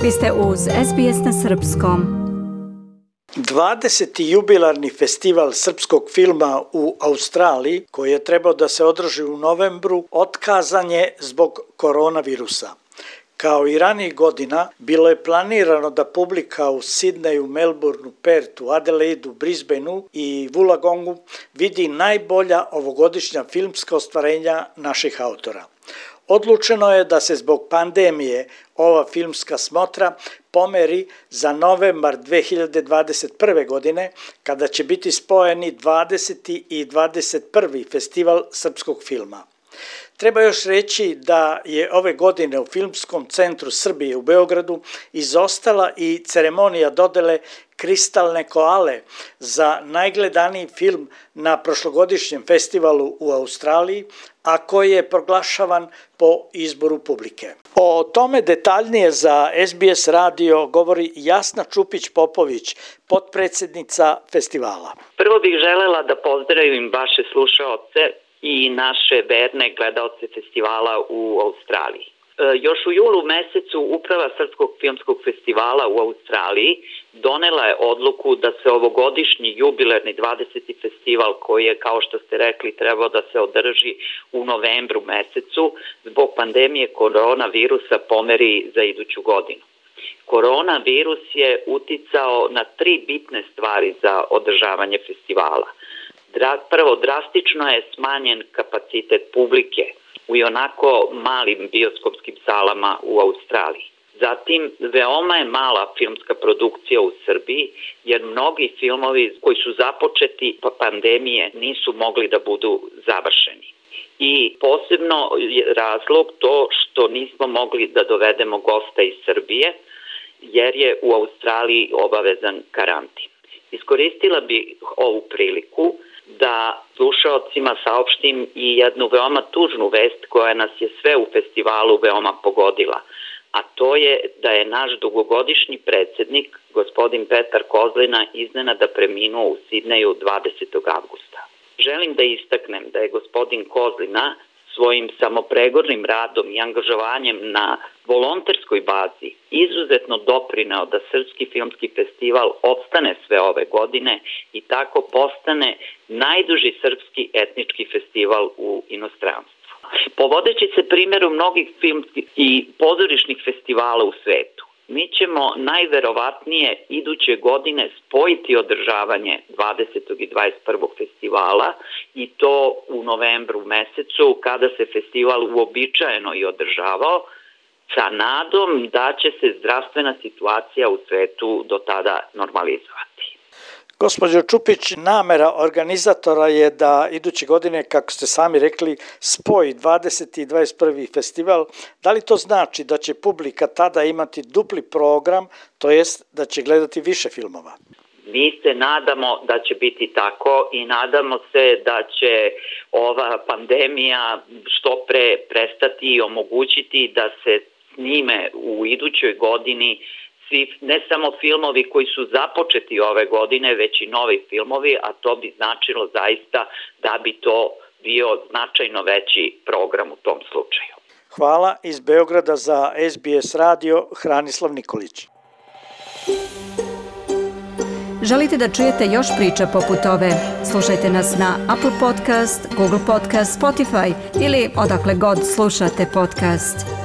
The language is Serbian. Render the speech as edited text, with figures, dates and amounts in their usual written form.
Vi ste uz SBS na Srpskom. 20. jubilarni festival srpskog filma u Australiji, koji je trebao da se održi u novembru, otkazan je zbog koronavirusa. Kao i ranijih godina, bilo je planirano da publika u Sidneju, Melbourneu, Pertu, Adelaidu, Brisbaneu i Wollongongu vidi najbolja ovogodišnja filmska ostvarenja naših autora. Odlučeno je da se zbog pandemije ova filmska smotra pomeri za novembar 2021. godine, kada će biti spojeni 20. i 21. festival srpskog filma. Treba još reći da je ove godine u Filmskom centru Srbije u Beogradu izostala i ceremonija dodele Kristalne koale za najgledaniji film na prošlogodišnjem festivalu u Australiji, a koji je proglašavan po izboru publike. O tome detaljnije za SBS radio govori Jasna Čupić-Popović, potpredsjednica festivala. Prvo bih želela da pozdravim vaše slušaoce i naše verne gledaoce festivala u Australiji. Još u julu mesecu Uprava Srpskog filmskog festivala u Australiji donela je odluku da se ovogodišnji jubilarni 20. festival, koji je, kao što ste rekli, trebao da se održi u novembru mesecu, zbog pandemije koronavirusa pomeri za iduću godinu. Koronavirus je uticao na 3 bitne stvari za održavanje festivala. Prvo, drastično je smanjen kapacitet publike u ionako malim bioskopskim salama u Australiji. Zatim, veoma je mala filmska produkcija u Srbiji, jer mnogi filmovi koji su započeti po pandemije nisu mogli da budu završeni. I posebno je razlog to što nismo mogli da dovedemo gosta iz Srbije, jer je u Australiji obavezan karantin. Iskoristila bi ovu priliku da slušaocima saopštim i jednu veoma tužnu vest koja nas je sve u festivalu veoma pogodila, a to je da je naš dugogodišnji predsjednik, gospodin Petar Kozlina, iznenada preminuo u Sidneju 20. avgusta. Želim da istaknem da je gospodin Kozlina svojim samopregornim radom i angažovanjem na volonterskoj bazi izuzetno doprineo da Srpski filmski festival opstane sve ove godine i tako postane najduži srpski etnički festival u inostranstvu. Povodeći se primjeru mnogih filmskih i pozorišnih festivala u svetu, mi ćemo najverovatnije iduće godine spojiti održavanje 20. i 21. festivala i to u novembru mesecu, kada se festival uobičajeno i održavao, sa nadom da će se zdravstvena situacija u svetu do tada normalizovati. Gospođo Čupić, namera organizatora je da iduće godine, kako ste sami rekli, spoji 20. i 21. festival. Da li to znači da će publika tada imati dupli program, to jest da će gledati više filmova? Mi se nadamo da će biti tako i nadamo se da će ova pandemija što pre prestati i omogućiti da se snime u idućoj godini svi, ne samo filmovi koji su započeti ove godine, već i novi filmovi, a to bi značilo zaista da bi to bio značajno veći program u tom slučaju. Hvala iz Beograda za SBS radio, Hranislav Nikolić. Želite da čujete još priča poput ove? Slušajte nas na Apple Podcast, Google Podcast, Spotify ili odakle god slušate podcast.